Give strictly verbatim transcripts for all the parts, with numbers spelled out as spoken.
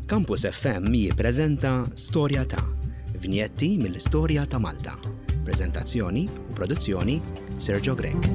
Campus F M jippreżenta Storja ta' Vinjetti mill-Istorja ta' Malta. Prezentazzjoni u produzzjoni, Sergio Grech.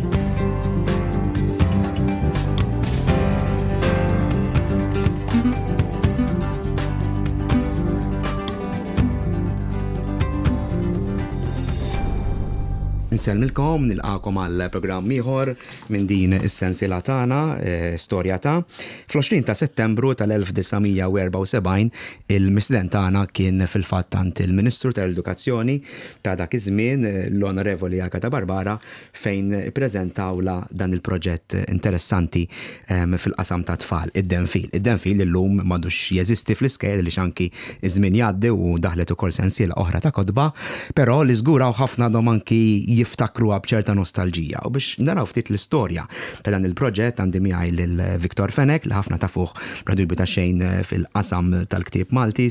Insellmilkom, nilqagħkom għal programm ieħor minn din is-sensiela tagħna, eh, Storja ta'. Fl-għoxrin ta' Settembru tal-elf disa' mija u erbgħa u sebgħin il-mistieden tagħna kien fil-fatt għand il-Ministru tal-Edukazzjoni ta' dak iż-żmien, eh, l-Onorevoli Agata Barbara, fejn ippreżentawla dan il-proġett interessanti em, fil-qasam ta' tfal, id-Denfil. Id-Denfil illum m'għadux jeżisti fl-iskejjel li anki iż-żmien jgħaddi u daħlet ukoll sensiela oħra ta' kotba, però li żgur hawn ħafna għadhom anki jiftakruha b'ċerta nostalġija. U biex naraw ftit l-istorja ta' dan il-proġett għandi miegħi lil Victor Fenech, li ħafna tafuh bla dubju ta' xejn fil-qasam tal-ktieb Malti.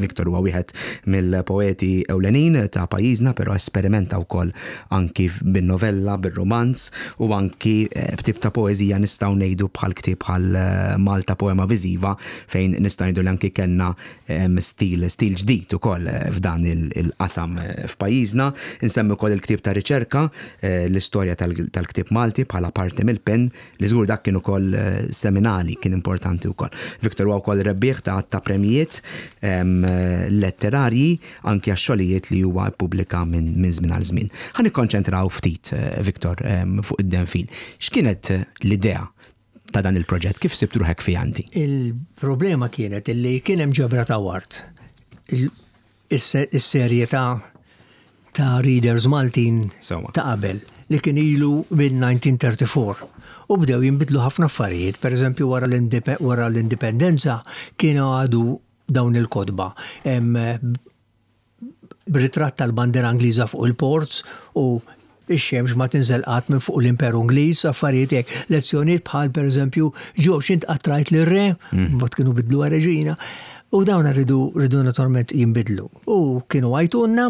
Victor huwa wieħed mill-poeti ewlenin ta' pajjiżna, però esperimenta wkoll anki bin-novella, bir-romanz u anki eh, b'tip ta' poeżija, nistgħu ngħidu, bħal ktieb bħal eh, Malta Poema Viżiva, fejn nistgħu ngħidu li anki kellna em, stil stil ġdid ukoll eh, f'dan il- il-qasam eh, f'pajjiżna. Insemmi wkoll il-ktieb ta' riċerka, eh, l-istorja tal- tal-ktieb Malti bħala parti mill-PEN, li żgur dak kien ukoll eh, seminali, kien importanti wkoll. Victor huwa wkoll rebbieħ ta' ta' premijiet em, eh, letterarji anki għax-xogħlijiet li huwa ppubblika minn min żmien għal żmien. Ħa nikkonċentraw ftit, eh, Victor, em, fuq id-Denfil. X'kienet eh, l-idea ta' dan il-proġett? Kif sibt ruħek fi anti? Il-problema kienet illi kien hemm ġebra ta' wart. Il- Is-serje ta' ta' Readers Maltin Sewwa. ta' qabel li kien ilu mill-elf disa' mija u tlieta u erbgħin. U bdew jinbidlu ħafna affarijiet, per eżempju wara l-indipe- wara l-indipendenza kienu għadu dawn il-kotba. Em, B'ritratt tal-bandera Ingliża fuq il-ports u ix-xemx ma tinżel qatt minn fuq l-Imperu Ingliż, affarijiet hekk. Lezzjonijiet bħal, pereżempju, ġo x'int qatt rajt lir-re, mbagħad kienu bidlu reġina. U dawn rridu rridu naturalment jinbidlu. U kienu għajtunna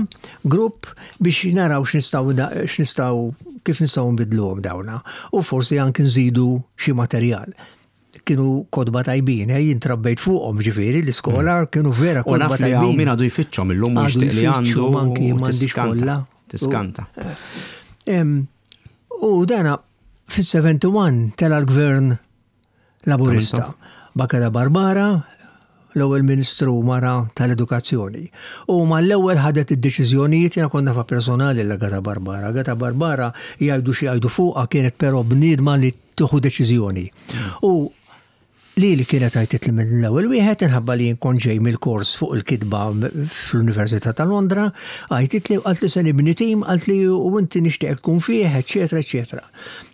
grupp biex naraw x'nistgħu x'nistgħu kif nistgħu nbidluhom dawna. U forsi anki nżidu xi materjal. Kienu kotba tajbin, eh, jien trabbejt fuqhom, ġifieri l-iskola kienu vera U kotba naf li hawn tajbin. min għadu jfittxhom illum u Għadu jixtieq li għandu jfittxhom, anki u m'għandix tiskanta. kollha. Tiskanta. Em, U dana fis-sebgħa u sebgħin tela l-gvern Laburista. B'Agata Barbara, l-ewwel ministru mara tal-edukazzjoni. U ma l-ewwel ħadet id-deċiżjonijiet. Jiena konna fa personali l-Agata Barbara. Agata Barbara, jgħidu xi jgħidu fuqha, kienet però bniedma li tieħu deċiżjoni. U li li kienet għajtit li mill-ewwel wieħed, inħabba li nkun ġej mill-kors fuq il-kitba fl-Università ta' Londra, għajtit li għalt li se nibni tim, għalt li u inti nixtieq tkun fih, eċetera, eċetera.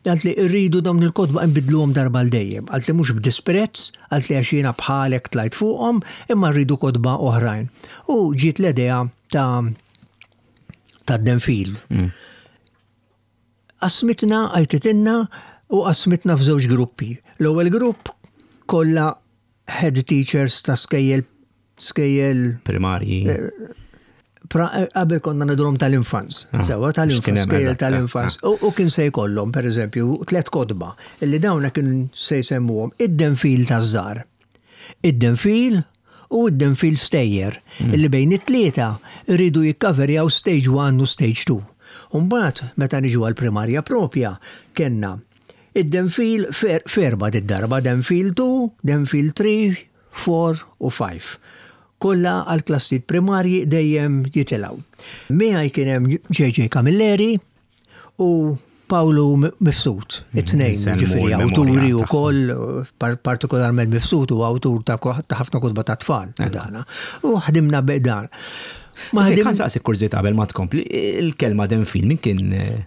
Għalt li rridu dawn il-kotba nbidluhom darba l dejjem. Għalt li mhux b'disprezz, għalt li għax jiena bħalek tlajt fuqhom, imma rridu kotba oħrajn. U ġiet l-idea ta' ta' Denfil. Qasmitna, għajtitilna u qasmitna f'żewġ gruppi. L-ewwel grupp kollha head teachers ta' skejjel skejjel Primarji. pra- qabel konna ngħidulhom tal-infants. Ah, Sewa x'kien tal-infants, hemm skejjel eżatt, tal-infants. U u kien se jkollhom, per eżempju, tliet kotba illi dawna kien se jsemmuhom id-Denfil taż-żgħar, id-Denfil u id-Denfil stejjer, illi bejn it-tlieta rridu jikkaverjaw stage one u stage two. Umbagħad, meta niġu għal-primarja propja, kellna id-Denfil fer, ferba d-darba, Denfil two, Denfil three, four u five. Kollha għal klassijiet primarji dejjem jitilgħu. Miegħi kien hemm J J Camilleri u Paolo Mifsud, it-tnejn, Nsemmu ġifieri l-memorja awturi u tagħhom. koll, par partikolarment Mifsud u awtur ta' ko- ta' ħafna kotba ta' tfal. Dana. U ħdimna b'dan. Ma Ma ħdim ħan saqsi kurżità qabel ma tkompli, il-kelma Denfil min kien eh,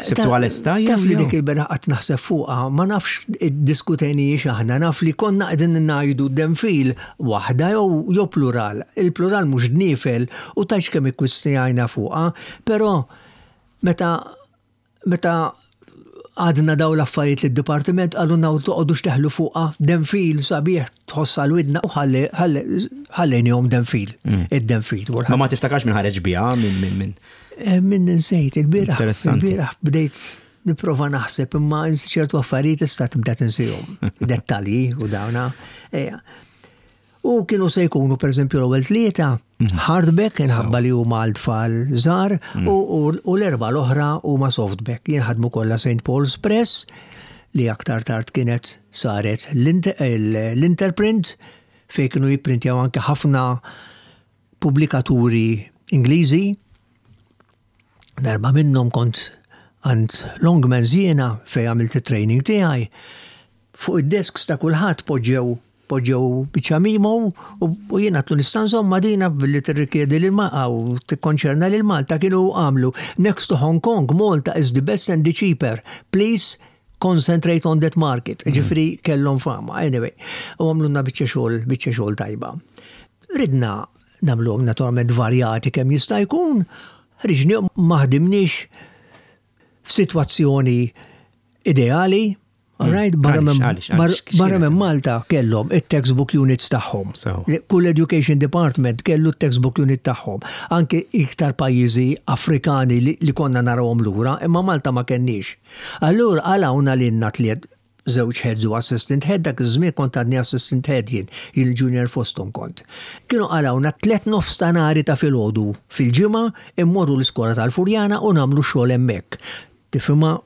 sibtu għal-esta? Taf li dik il-beraħ qatt naħseb fuqha, ma nafx iddiskutejniex aħna, naf li konna qegħdin ngħidu Denfil waħda jew jew plural. Il-plural mhux dnifel u tax kemm ikkwistjajna fuqha, però meta meta għadna daw l-affarijiet li d-dipartiment għalulna toqgħodux teħlu fuqha, Denfil sabiħ, tħossa l-widna, u ħallejnihom Denfil, id-Denfil. Ma ma tiftakarx minn ħareġ biha, minn minn minn. Eh, Min nsejt, il-bieraħ, Interessanti. il-bieraħ bdejt nipprova naħseb, imma ċertu affarijiet issa tibda tinsihom. Dettalji u dawna. Ejja. U kienu se jkunu per eżempju l-ewwel tlieta mhm. hardback inħabba li huma għal tfal żgħar mhm. u l-erba' l-oħra huma softback. Jinħadmu kollha Saint Paul's Press, li aktar tard kienet saret l-Interprint, fejn kienu jipprintjaw anke ħafna pubblikaturi Ingliżi. Darba minnhom kont għand Longmans jiena, fejn għamilt it-training tiegħi. Fuq id-desks ta' kulħadd poġġew poġġew biċċa memo u jiena għedtlu, "Nista' nżommha dina billi tirrikjedi lil u tikkonċerna lil Malta?" Kienu għamlu, "Next to Hong Kong, Malta is the best and the cheaper. Please concentrate on that market." Mm. Ġifieri kellhom fama, anyway. U għamlulna biċċa xogħol, biċċa xogħol tajba. Ridna nagħmluhom naturalment varjati kemm jista' jkun, ħriġni ma ħdimniex f'sitwazzjoni ideali. All right, barra minn Malta kellhom it-textbook units tagħhom. Kull education department kellu t-textbook unit tagħhom. Anke iktar pajjiżi Afrikani li, li konna narawhom lura, imma Malta ma kenniex. Allura għalawna lilna tliet, żewġ heads u assistant head, dak iż-żmien kont għadni assistant head jien, il-junior fosthom kont. Kienu qalgħuna tliet nofstanhari ta' filgħodu fil-ġimgħa immorru l-iskola tal-Furjana u nagħmlu xogħol hemmhekk. Tifhimha,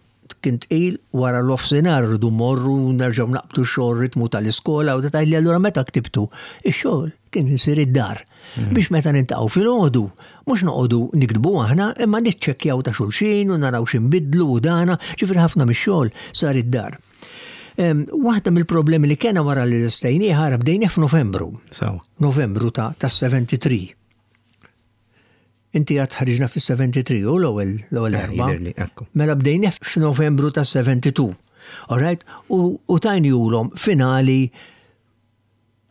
kien tqil, wara l-offsinar rridu morru nerġgħu naqbdu xogħol, ritmu tal-iskola u tgħidli allura meta ktibtu. Ix-xogħol kien isir id-dar. Mhm. Biex meta niltaqgħu filgħodu, mhux noqogħdu niktbu aħna, imma niċċekkjaw ta' xulxin u naraw x'inbidlu u dana, ġifieri ħafna mix-xogħol sar id-dar. Waħda mill-problemi li kena wara li l-istejni ħara bdejni f'Novembru. Novembru ta' ta' sebgħa u sebgħin. Inti għad ħriġna fis-sebgħa u sebgħin u l-ewwel l-ewwel eh, darba. Mela bdejna f'Novembru ta' sebgħa u sebgħin. All right? U tajnihulhom finali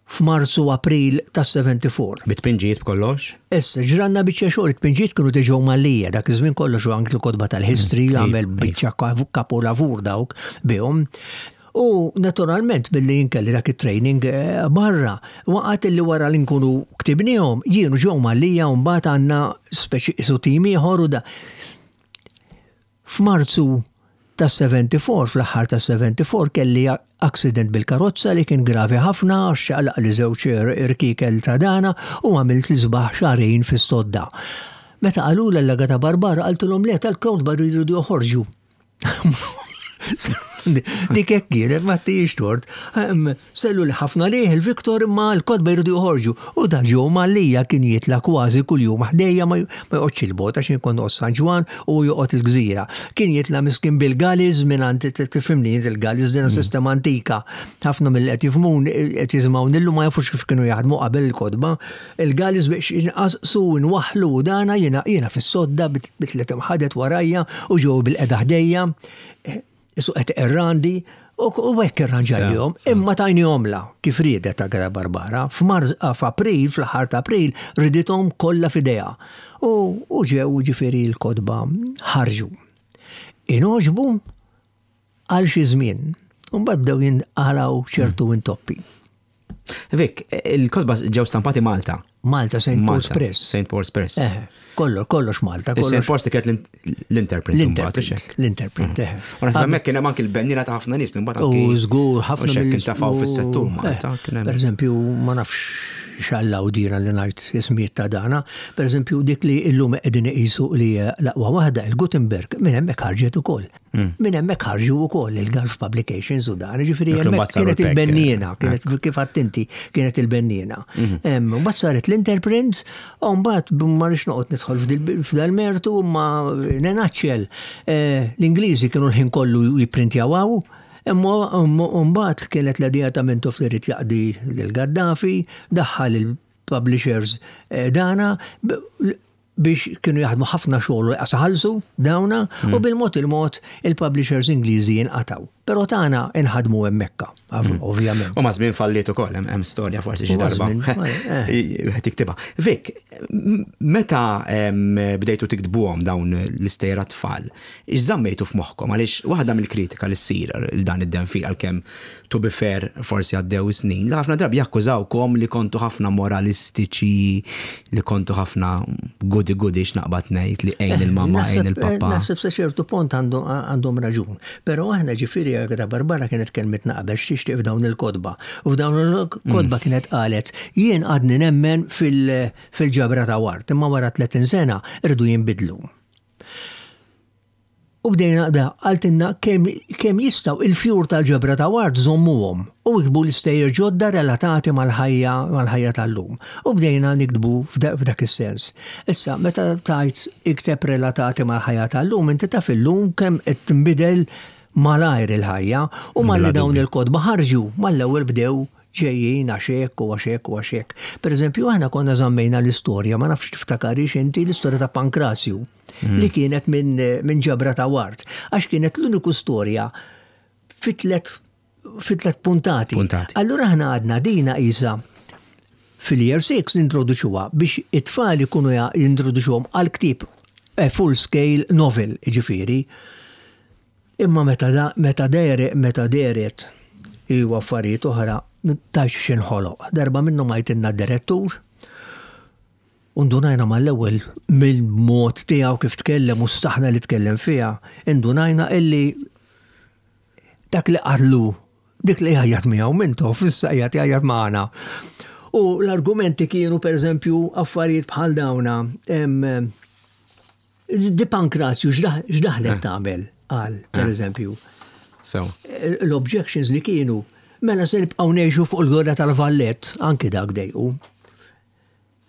f'Marzu, April ta' sebgħa u sebgħin. Bit-tpinġijiet, b'kollox? Issa, ġranna biċċa xogħol, it-tpinġijiet kienu diġà Mallia, dak iż-żmien kollox u anki l-kotba tal-history mm, għamel biċċa kapolavur dawk bihom. U naturalment billi jinkelli dak it-training eh, barra, waqt li wara li nkunu ktibnihom, jienu ġew Mallia u mbagħad għandna speċi isu tim ieħor u da. F'Marzu ta' sebgħa u sebgħin, fl-aħħar ta' sebgħa u sebgħin, kelli accident bil-karozza li kien gravi ħafna, xaqlaq li żewġ irkikel ta' dana u għamilt li sbaħ xahrejn fis-sodda. Meta qalu l-Agata Barbara, qaltilhom, "Le, tal-kotba jridu joħorġu." Dik hekk kienet, ma tix tort. Sellu li ħafna liħ il-Viktor, imma l-kotba jridu joħorġu. U da ġew Mallia kien jitla kważi kuljum ħdejja, ma joqgħodx il-bogħod għax jien kont San Ġwann u joqgħod il-Gżira. Kien jitla miskin bil-galleys minn għand, tifhimni, il-galleys din mm. sistema antika. Ħafna mill qed jifhmun qed jisimgħu nillu ma jafux kif kienu jaħdmu qabel il-kotba. Il-galleys biex inqasqsu nwaħlu dana, jiena jiena fis-sodda bitlet imħadet warajja u ġew bil-qeda ħdejja. Isu qed irrandi u hekk irranġajlihom, imma tajnihom la kif riedet Agata Barbara. F'April, fl-aħħar ta' April, ridithom kollha f'idejha. U ġew, ġifieri l-kotba ħarġu. Ingħoġbu għal xi żmien. Mbagħad bdew jinqalgħu ċertu intoppi. Vik, il-kotba ġew stampati Malta. Malta, Saint Paul's Press. Saint Paul's Press. Eh, kollox, kollox Malta. Saint Paul's kienet l-Interprint. L-Interprint, l-Interprint, eh. U naħseb hemmhekk kien hemm anki l-benniera ta' ħafna nies mbagħad anki. U żgur, ħafna mill intafaw fis-settur Malta. Per eżempju, ma nafx xallaw dina li ngħid ismijiet ta' dana, per eżempju dik li illum qegħdin iqisu li l-aqwa waħda, il-Gutenberg, minn hemmhekk ħarġet ukoll. Mm. Minn hemmhekk ħarġu wkoll il-Gulf Publications u dan, ġifieri hemmhekk kienet il-benniena, kienet kif attenti kienet il-benniena. Mhm. Mbagħad saret l-Interprint, u mbagħad ma rridx noqgħod nidħol f'dal-mertu, ma nenaċċel. Eh, l-Ingliżi kienu l-ħin kollu jipprintjaw, imma mbagħad kienet l-idea ta' Mintoff li jrid jaqdi lil Gaddafi, daħħal il-publishers eh, dana biex kienu jaħdmu ħafna xogħol u ħallsu dawna mm. u bil-mod il-mod il-publishers Ingliżi jinqataw. Però tagħna inħadmu hemmhekk, mm. ovvjament. U ma' żmien falliet ukoll, hemm storja forsi xi darba. Eh. Tiktibha. Vik, meta bdejtu tiktbuhom dawn l-istejjer tfal, iżammejtu f'moħħkom? Għaliex waħda mill-kritika li ssir il dan id-denfil, għalkemm to be fair forsi għaddew snin, li ħafna drabi jakkużawkom li kontu ħafna moralistiċi, li kontu ħafna goody goody, x'naqbad ngħid, li għejn il-mama, għejn il-papa. Naħseb sa ċertu punt għandhom raġun. Però aħna ġifieri Agata Barbara kienet kelmitna qabel x'tixtieq f'dawn il-kotba. U f'dawn il-kotba mm. kienet qalet, jien għadni nemmen fil-ġabra ta' Ward, imma wara tletin sena irdu jinbidlu. U bdejna da, qaltilna kemm jistgħu il-fjur tal-ġabra ta' Ward żommuhom u iktbu l-istejjer ġodda relatati mal-ħajja mal-ħajja tal-lum. U bdejna niktbu f'dak is-sens. Issa, meta tajt ikteb relatati mal-ħajja tal-lum, inti taf illum kemm qed tinbidel malajr il-ħajja u malli dawn il-kotba ħarġu, mal-ewwel bdew ġejjin għax hekk u għax hekk u għax hekk. Per eżempju, aħna konna żammejna l-istorja, ma nafx tiftakarix inti l-istorja ta' Pankrazju, mm. li kienet minn min ġabra ta' Ward, għax kienet l-uniku storja fi tlet fi tlet puntati. Puntati. Allura aħna għadna dina isa fil-year six nintroduċuha biex it-tfal ikunu jintroduċuhom għal ktieb full scale novel, ġifieri. Imma meta da, meta deret, meta deret iwa affarijiet oħra tax xinħoloq. Darba minnu majtinna direttur, Undunajna mal-ewwel mill-mod tiegħu kif tkellem u s-saħna li tkellem fiha, indunajna illi dak li qallu, dik li jgħajjat miegħu Mintoff, issa qiegħed jgħajjat magħna. U l-argumenti kienu per eżempju affarijiet bħal dawna. Di Pankrazju x'daħlet eh. tagħmel qal per eh. eżempju. So. L-objections li kienu, mela se nibqgħu ngħixu fuq il-gwerra tal-Vallett, anki dak dejqu.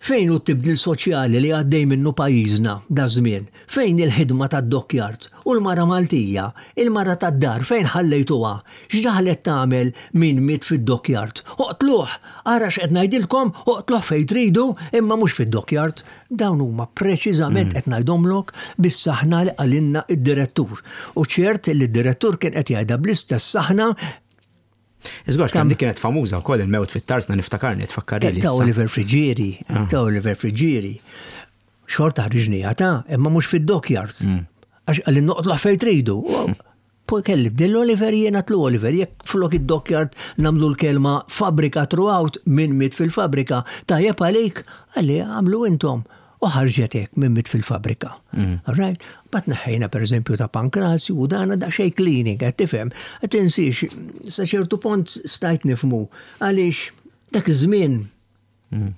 Fejn hu t-tibdil soċjali li għaddej minnu pajjiżna da żmien? Fejn il-ħidma tad-dockyard u l-mara Maltija, il-mara tad-dar, fejn ħallejtuha? X'daħlet tagħmel min miet fid-dockyard? Oqtluh! Ara x'qed ngħidilkom, oqtluh fejn tridu, imma mhux fid-dockyard. Dawn huma preċiżament mm. qed ngħidhomlok bis-saħna li qalilna id-direttur. U ċert li d-direttur kien qed jgħidha bl-istess saħna. Iżgur, kemm dik kienet famuża wkoll il-mewt fit-tarzna, niftakarni, tfakkarni. Ta' Oliver Friggieri, ah. ta' Oliver Friggieri. Xorta ħriġnija ta' imma mhux fid-dockyard. Mm. Għax qalli noqtlu fejn tridu. Poi kelli bdill Oliver, jiena tlu Oliver, jekk flok id-dockyard nagħmlu l-kelma fabrika throughout, min miet fil-fabrika, tajjeb għalik, qalli għamlu intom. U ħarġet hekk min miet fil-fabrika. Mm. All right? Bat neħħejna per eżempju ta' Pankrazju u dana da xej cleaning, qed tifhem. Qed tinsiex, sa ċertu punt stajt nifmu għaliex dak iż-żmien mm.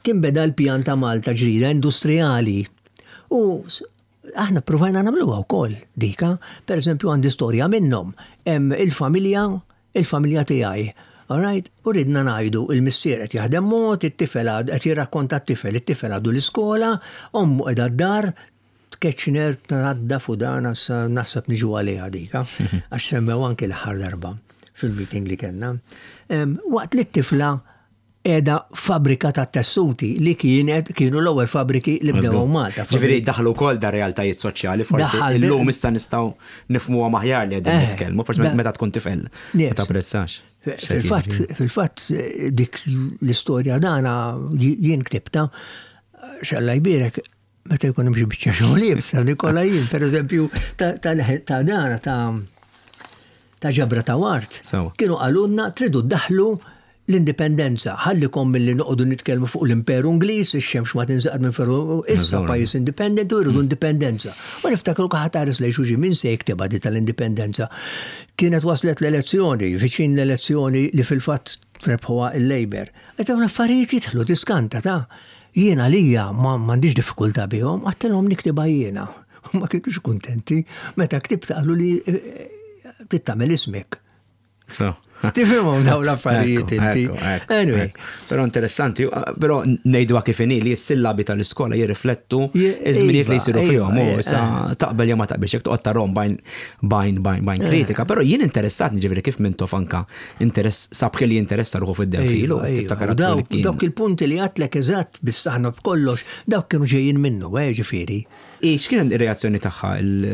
kien beda l-pjan ta' Malta ġdida industrijali. U aħna provajna nagħmluha wkoll dika, per eżempju għandi storja minnhom, hemm il-familja, il-familja tiegħi. All right? U ridna ngħidu il-missier qed jaħdem mod, it-tifel qed jirrakkonta t-tifel, it-tifel għadu l-iskola, ommu qiegħda d-dar, tkeċner tnaddaf u dan naħseb niġu għaliha dika, għax semmew anki l-aħħar darba fil-meeting li kellna. Waqt li t-tifla qiegħda fabrika ta' tessuti li kienet kienu l-ewwel fabriki li bdew Malta. Ġifieri daħlu wkoll da realtajiet soċjali, forsi illum issa nistgħu nifhmuha aħjar li qegħdin eh, nitkellmu, forsi meta tkun tifel ma tapprezzax. Fil-fatt, fil-fatt dik l-istorja dana jien ktibta, xalla jbirek, meta jkun hemm xi biċċa xogħol iebsa, Nikola jien, pereżempju, ta' dana ta' ta' ġabra ta' Ward. Kienu qalulna tridu ddaħlu l-indipendenza, ħallikom mill-li noqogħdu nitkellmu fuq l-Imperu Ingliż, ix-xemx ma tinżaqad minn ferru, issa pajjiż indipendenti u jridu indipendenza. U niftakru kaħat lejn xulxin, min se jiktibha di tal-indipendenza. Kienet waslet l-elezzjoni, viċin l-elezzjoni li fil-fatt rebħuha il-Labour. Qed dawn affarijiet jidħlu tiskanta ta' jiena lija ma m'għandix diffikultà bihom, għedtilhom niktibha jiena. U ma kienux kuntenti, meta ktibt qalu li eh, tittamel ismek. So. Tifhimhom dawn l-affarijiet inti. Anyway. Però interessanti, però ngħidu kif inhi li s-sillabi tal-iskola jirriflettu iż-żminijiet li jsiru fihom, u issa taqbel jew ma taqbilx, jekk toqgħod tarahom bajn bajn bajn bajn kritika, però jien interessat ġifieri kif Mintoff anka interess sabħi li jinteressa ruħu fid-denfilu. Dawk il-punti li għedtlek eżatt bis-saħna b'kollox, dawk kienu ġejjin minnu, eh, ġifieri. X'kien ir-reazzjoni tagħha?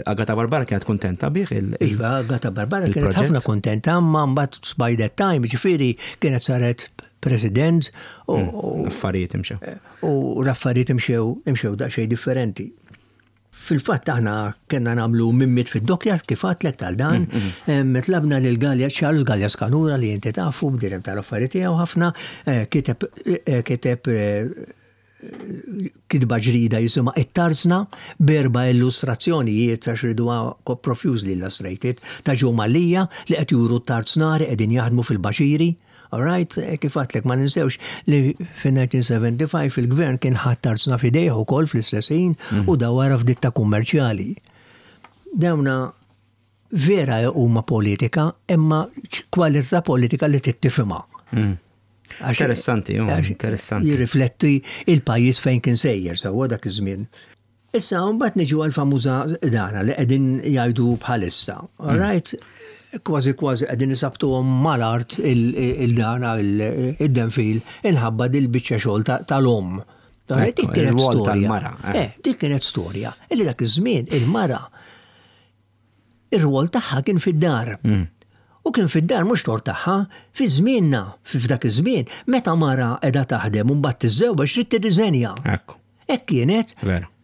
Agata Barbara kienet kontenta bih? Iva, Agata Barbara kienet ħafna kontenta, ma mbagħad by that time, ġifieri kienet saret president u mm, affarijiet imxew. U l-affarijiet imxew imxew daqsxejn differenti. Fil-fatt aħna kellna nagħmlu min miet fid-dockyard kif għedtlek tal-dan, mm, mm. tlabna lil Galea, Charles Galea Scanura li inti tafu b'direm tal-affarijiet tiegħu ħafna, eh, kiteb eh, kiteb eh, Kitba ġdida jisimha It-Tarzna, b'erba' illustrazzjonijiet, għax riduha profusely illustrated, ta' Joe Mallia li qed juru t-tarznari qegħdin jaħdmu fil-baxiri. All right, eh, kif għedtlek, ma ninsewx li fin-elf disa' mija u sebgħa u ħamsin il-gvern kien ħa t-tarzna f'idejh ukoll fl-istess ħin mm. u dawwarha f'ditta kummerċjali. Dawna vera huma politika, imma kwalità politika li tittifhimha. Mm. Interessanti, interessanti. Jirrifletti il-pajjiż fejn kien sejjer sewwa dak iż-żmien. Issa, mbagħad niġu għal-famuża dana li qegħdin jgħidu bħalissa. All mm. right? Kważi kważi qegħdin isabtuhom mal-art il-dana id-denfil inħabba dil-biċċa xogħol tal-om. Dik kienet storja. Eh. eh, dik kienet storja. Illi dak iż-żmien il-mara ir-rwol tagħha kien fid-dar. Mm. U kien fid-dar mhux tort tagħha, fi żmienna, f'dak iż-żmien, meta mara qiegħda taħdem u mbagħad tiżżewweġ trid tirriżenja. Hekk kienet.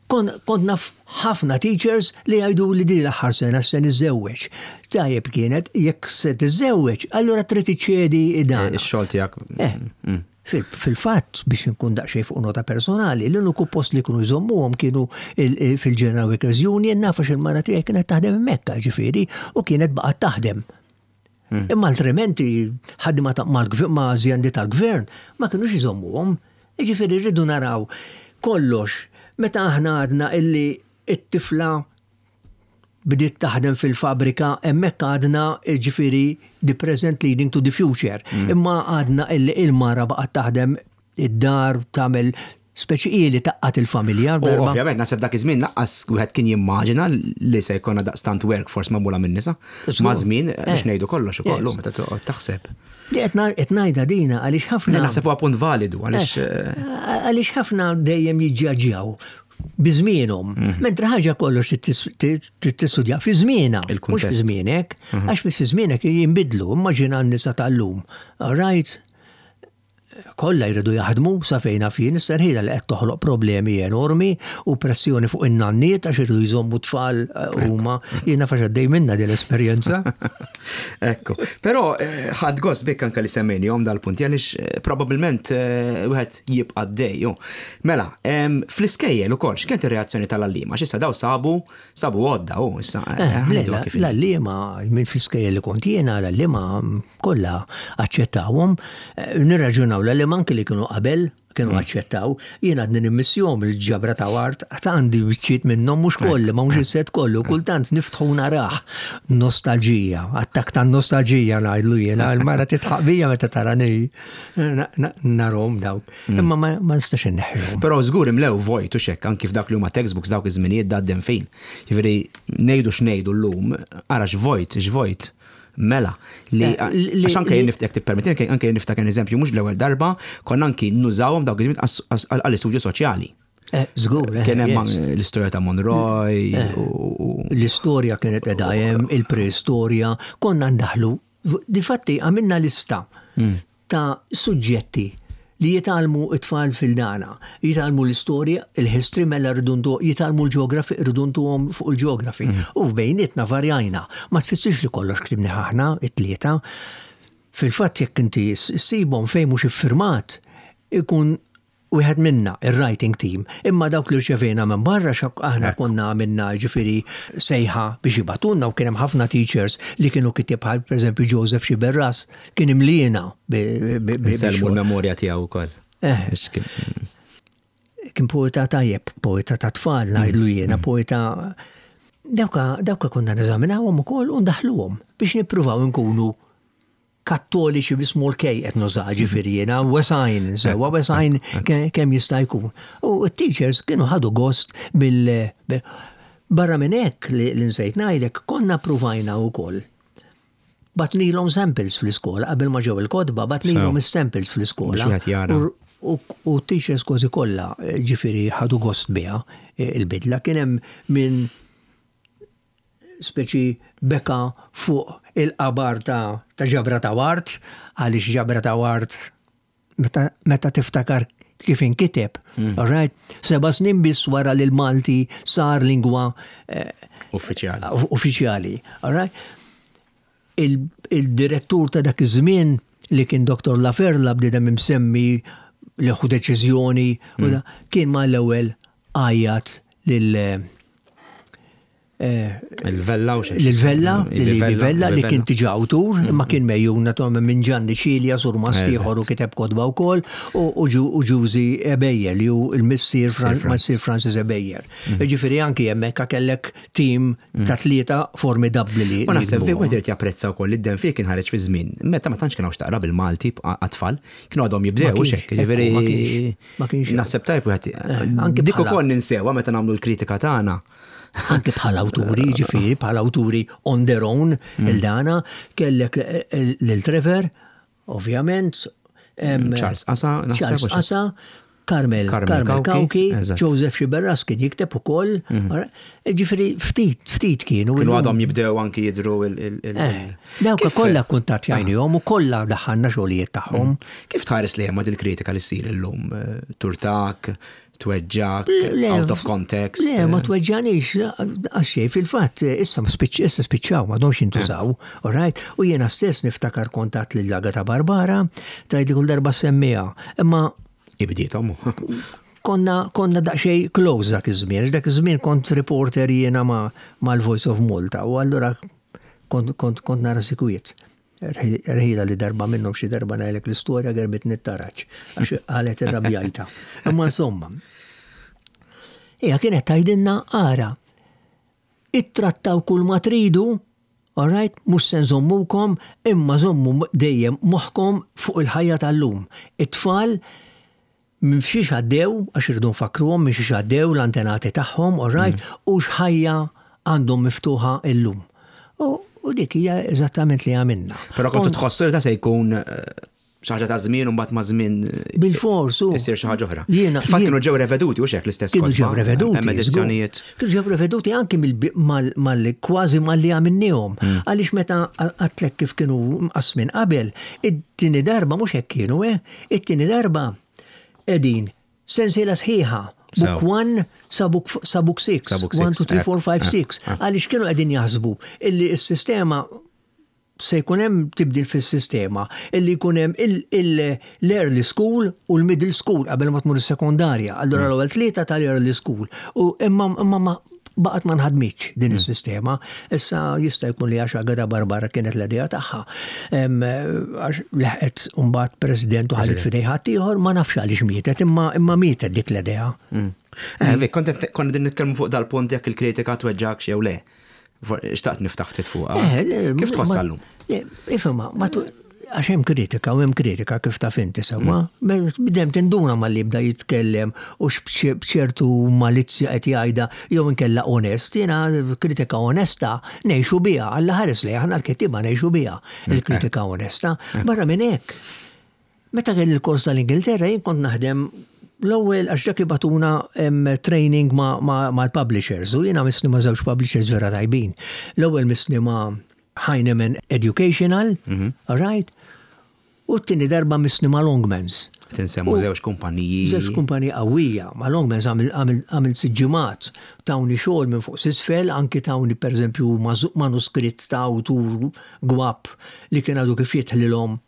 Kont naf ħafna teachers li jgħidu li di l-aħħar sena se niżżewweġ. Tajjeb kienet, jekk se tiżżewweġ, allura trid iċċedi dan. Eh, ix-xogħol tiegħek. Eh, mm. Fil-fatt, biex nkun daqsxejn fuq nota personali, l-uniku post li kienu jżommuhom kienu fil-General Workers Union, naf għax il-mara tiegħi kienet taħdem hemmhekk, ġifieri, u kienet baqgħet taħdem. Hmm. Imma altrimenti ħaddiema ma' azjendi tal-gvern ma kienux jżommuhom. Ġifieri rridu naraw kollox. Meta aħna għadna illi it-tifla bdiet taħdem fil-fabrika, hemmhekk għadna, ġifieri, the present leading to the future. Mm. Imma għadna illi il-mara baqgħet taħdem id-dar, tagħmel speċi ili taqqat il-familja. Ovvjament, naħseb dak iż-żmien lanqas wieħed kien jimmaġina li se jkollna daqstant workforce magħmula minn nisa. Ma' żmien biex eh. ngħidu kollox ukoll meta toqgħod taħseb. Li qed ngħidha dina għaliex ħafna. Naħseb huwa punt validu għaliex. Eh, għaliex ħafna dejjem jiġġaġġjaw biżmienhom. Mhm. Mentre ħaġa kollox tistudja fi żmienha, mhux fi żmienek, mhm. għax fi żmienek jinbidlu, immaġina n-nisa tal-lum. All right? Kollha jridu jaħdmu sa fejn jien issa li qed toħloq problemi enormi u pressjoni fuq in-nanniet għax iridu jżommu tfal eh, huma. Jiena fax għaddej minna din l-esperjenza. Ekku. Però eh, ħadt gost bik anke li semmejnihom dal-punti għaliex eh, probabbilment wieħed jibqa' dej. Mela, fl-iskejjel ukoll x'kienet ir-reazzjoni tal-għalliema? X'issa daw sabu sabu għodda u issa. L-għalliema minn fl-iskejjel li kont jiena, l-għalliema kollha aċċettawhom. Nirraġunaw, l-għalliema anki li kienu qabel kienu mm. aċċettaw, jien għadni nimmissjahom il-Ġabra ta' Ward, għad għandi biċċiet minnhom, mhux kolli, ma mhux is-set kollu, kultant niftħu narah. Nostalġija, attak ta' nostalġija ngħidlu jiena, il-mara titħaq bija meta tarani narahom dawk. Mm. Imma ma nistax inneħħihom. Però żgur imlew vojt u xekk anki f'dak li huma textbooks dawk iż-żminijiet da fejn. Jiġifieri ngħidu x'ngħidu llum, ara x'vojt, x'vojt mela li eh, għax anke jien niftek tippermetti, anke jien niftakar eżempju, mhux l-ewwel darba konna anki nużawhom dawk iż-żmien għall-istudju soċjali. Eh, żgur, eh, Kien hemm l-istorja ta' Monroy. L-istorja kienet qiegħda hemm, il-preistorja, konna ndaħlu. Difatti għamilna lista hmm. ta' suġġetti li jitgħallmu it-tfal fil-dana. Jitgħallmu l-istorja, il-history, mela rridu jitgħallmu l-geography, rridu ntuhom fuq il-geography. Mm. U bejnietna varjajna. Ma tfissirx li kollox ktibni aħna, it-tlieta. Fil-fatt jekk inti ssibhom fejn mhux iffirmat, ikun wieħed minna, il-writing team, imma dawk li rċevejna minn barra, xok aħna konna għamilna ġifieri sejħa biex jibagħtulna u kien hemm ħafna teachers li kienu kittieb bħal pereżempju Joseph Xiberras kien imliena. Sellmu l-memorja tiegħu wkoll. Eh. Kien poeta tajjeb, poeta ta' tfal ngħidlu jiena, mm. poeta. Dawka, dawka konna neżaminawhom ukoll u ndaħluhom biex nippruvaw nkunu kattoliċi bi small k qed nuża, ġifieri jiena wesajn, sewwa wesajn kemm jista' jkun. U t-teachers kienu ħadu gost bil Barra minn hekk li nsejt ngħidlek, konna provajna wkoll. Bgħatnielhom samples fl-iskola qabel ma ġew il-kotba, bgħatnielhom is-samples fl-iskola. U t-teachers kważi kollha ġifieri ħadu gost biha il-bidla. Kien hemm minn speċi beka fuq il-qabar ta' ta' Ġabra ta' Ward, għaliex Ġabra ta' Ward meta, meta tiftakar kif inkiteb, mm. all right? Seba' snin biss wara li l-Malti sar lingwa eh, uffiċjali. Uffiċjali, all right? Il-direttur ta' dak iż-żmien li kien Doktor Laferla, bniedem imsemmi li ħu deċiżjoni, u da, kien ma l-ewwel għajjat lil eh, Il-Vella u xejn. Lil-Vella, lil-Vella li kien tiġa awtur, imma kien megħjun naturalment minn Gianni Cilia, surmast ieħor u kiteb kotba wkoll, u u Ġu- u Ġużi Ebejer li hu il-missier Fran- Francis. Missier Francis Ebejer. Ġifieri anki hemmhekk kellek tim ta' tlieta formidabbli li. U naħseb li fi wieħed irid japprezza wkoll li d-dem fih kien ħareġ fi żmien. Meta ma tantx kien hawn x'taqra bil-Malti għat-tfal, kienu għadhom jibdew Ma u kienx, xekk. Ġifieri ekku, ma kienx, ma kienx. Naħseb tajb wieħed. anki Dik bħala- ukoll ninsewha meta nagħmlu l-kritika tagħna. Anke bħala awturi, ġifieri, bħala awturi on their own, il-dana, kellek eh, eh, lil Trevor, ovvjament. em, Charles Asa, naħseb, Charles u xi- Asa, Carmel, Carmel Carmel Cauchi, Cauchi, eżatt. Joseph Sciberras kien jikteb ukoll. Ġifieri, ftit, ftit kienu. Kienu illum. għadhom jibdew anki jidru il- il- il- Eh, Dawk Kif- kollha kuntattjajnihom u kollha daħħalna xogħlijiet tagħhom. Kif tħares li hemm il-kritika li ssir illum? Eh, Turtak, tweġġak, Le, out of context. Le, ma tweġġanix, għaxej, fil-fatt, issa spiċ- issa spiċċaw, ma domx jintużaw, all right? U jiena stess niftakar kontat lil Agata Barbara, tgħidli kull darba semmija, imma Ibdietom. konna, konna daqsxejn close dak iż-żmien, dak iż-żmien kont reporter jiena ma' mal-Voice of Malta, u allura kont, kont, kont nara sikwiet. Rħila li darba minnhom xi darba ngħidlek l-istorja gerbit nittaraċ, għax qalet irrabjajta. Imma insomma, hija kienet tgħidilna ara, ittrattaw kull ma tridu, all right, mhux se nżommukom, imma żommu dejjem moħħkom fuq il-ħajja tal-lum. It-tfal minn xiex għaddew, għax irridu nfakruhom minn xiex għaddew l-antenati tagħhom, all right, u x'ħajja għandhom miftuħa illum. U, u dik hija eżattament li għamilna. Però kontu tħossu li ta' se jkun eh, xi ħaġa ta' żmien u mbagħad ma' żmien eh, Bil-fors, u. issir xi ħaġa oħra. Jiena- Fil-fatt jiena- kienu ġew reveduti u xek l-istess Kienu kotba, ġew reveduti. Hemm edizzjonijiet. żgur. Kienu ġew reveduti anki mill- mal- mal- kważi mal-li għamilnihom. Hmm. Għaliex meta għedtlek kif kienu mqasmin qabel, it-tieni darba mhux hekk kienu, eh? It-tieni darba qegħdin sensiela sħiħa. Sew. Book one sa book, sa book six. Sa book one, six, two, three, eh, four, five, eh, six. eh. Għaliex kienu qegħdin jaħsbu illi s-sistema se jkun hemm tibdil fis-sistema illi jkun hemm l-early school u l-middle school qabel ma tmur is-sekondarja. Allura l-ewwel tlieta tal-early school. U imma imma ma baqgħet ma nħadmitx din is-sistema. Issa jista' jkun li għax Agata Barbara kienet l-idea tagħha. Em, Għax leħqet mbagħad president u ħallit f'idej ħaddieħor ma nafx għaliex mietet, imma imma mietet dik l-idea. Mm. Eh, Vik, kont konna din nitkellmu fuq dal-punt jekk il-kritika tweġġak jew le. For- Xtaqt niftaħ ftit fuqha. Eh, le, Kif ma- tħossha llum? Le, Ifhimha, ma tu- għax hemm kritika u hemm kritika kif taf inti sewwa. Bdem tinduna malli jibda jitkellem u bċertu malizzja qed jgħidha jew inkella onest, jiena kritika onesta ngħixu biha, Alla ħares li aħna l-kittieba ngħixu biha il-kritika onesta. Barra minn hekk. Meta kien il-kors tal-Ingilterra jien kont naħdem l-ewwel għax dak jibagħtuna em, training ma' ma' mal-publishers u jiena missni ma' żewġ publishers vera tajbin. L-ewwel missni ma' Heinemann Educational, all right? U t-tieni darba missni ma' Longmans. Tinsemmu U- żewġ kumpaniji. Żewġ kumpaniji qawwija, ma' Longmans għamil- għamil għamil siġġimat, tawni xogħol minn fuq s'isfel, anki tawni pereżempju mażu- manuskritt ta' awtur gwap li kien għadu kif jitħlilhom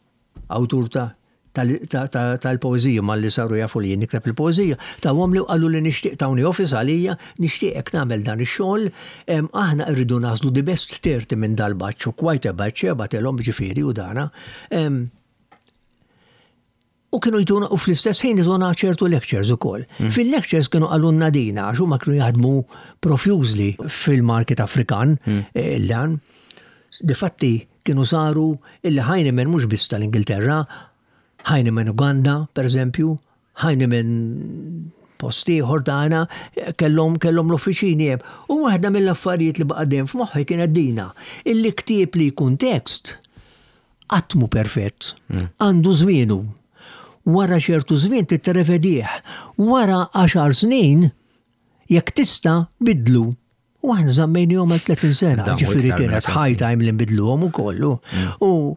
awtur ta' tal- ta- ta- tal-poezija, ma li saru jafu li jien nikteb il-poezija, tawhom li qalu li nixtieq tawni office għalija, nixtieqek tagħmel dan ix-xogħol, em, aħna rridu nagħżlu the best thirty minn dal-batch u quite a batch, bagħtilhom ġifieri u dana. Em, U kienu jtuna, u fl-istess ħin jtuna ċertu lectures ukoll. Fil-lectures kienu qalulna dina, għax huma kienu jaħdmu profusely fil-market Afrikan, eh, il-dan. Difatti kienu saru illi Heinemann mhux biss tal-Ingilterra, Heinemann Uganda, per eżempju, Heinemann post ieħor tagħna kellhom kellhom l-uffiċini hemm. U waħda mill-affarijiet li baqa' dejjem f'moħħi kienet dina, illi ktieb li jkun tekst qatt mhu perfett, għandu żmienu. Wara ċertu żmien titrevedih. Wara għaxar snin, jekk tista' bidlu. U aħna żammejnihom għal tletin sena, Damu ġifieri iktar minn kienet għaxar high snin. time li nbidluhom ukollu. U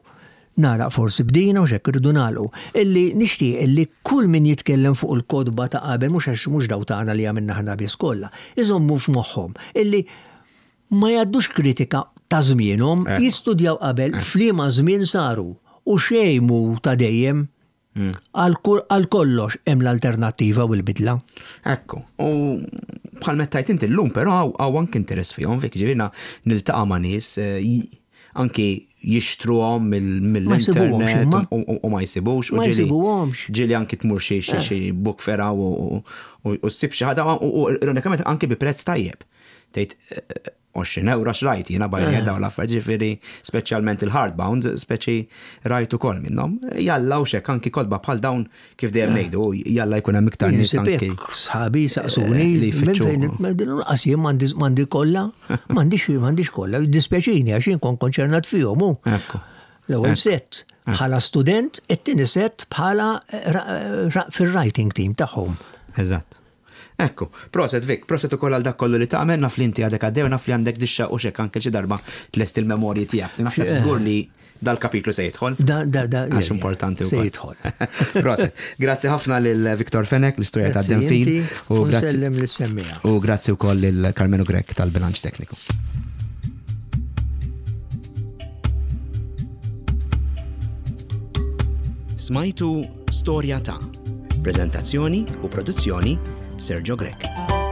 nara forsi bdina u xekk irridu nagħlqu. Illi nixtieq illi kull min jitkellem fuq il-kotba ta' qabel mhux għax mhux daw tagħna li għamilna aħna biss kollha, iżommu f'moħħhom illi ma jgħaddux kritika ta' żmienhom, Eh. jistudjaw qabel f'liema żmien saru u xejn mhu ta' dejjem. Għal kollox hemm l-alternattiva u l-bidla. Ekku, u bħal mettajt inti l-lum, però hawn anki interess fihom, fik ġifieri niltaqa' ma' nies eh, anki jixtruhom mill-internet u ma jsibux. Ma jsibuhomx. Ġieli anki tmur xi xi book fair u ssib xi ħaġa u ironikament anki bi prezz tajjeb. Tgħid għoxrin euro xrajt jiena bajja dawn l-affarijiet, ġifieri speċjalment il-hardbound, speċi rajt ukoll minnhom. Jalla u xek anki kotba bħal dawn kif dejjem ngħidu, jalla jkun hemm iktar nies anki. Sħabi saqsuni li jfittxu. Lanqas jien m'għandi kollha, m'għandix m'għandix kollha, dispjaċini għax jien kont konċernat fihom hu. L-ewwel set bħala student, it-tieni set bħala fil-writing team tagħhom. Eżatt. Ekku, proset Vic, proset ukoll għal dak kollu li tagħmel, naf li inti għadek għaddew, naf li għandek dixxa u xek anke xi darba tlest il-memorji tiegħek. Naħseb żgur li dal-kapitlu se jidħol. Da, da, da. Għax importanti Se jidħol. Proset. Grazzi ħafna lil Victor Fenech, l-istorja ta' Denfil. U grazzi. Lis-semmiegħa. U grazzi wkoll lil Carmenu Grech tal-bilanċ tekniku. Smajtu Storja ta' Prezentazzjoni u produzzjoni Sergio Grech.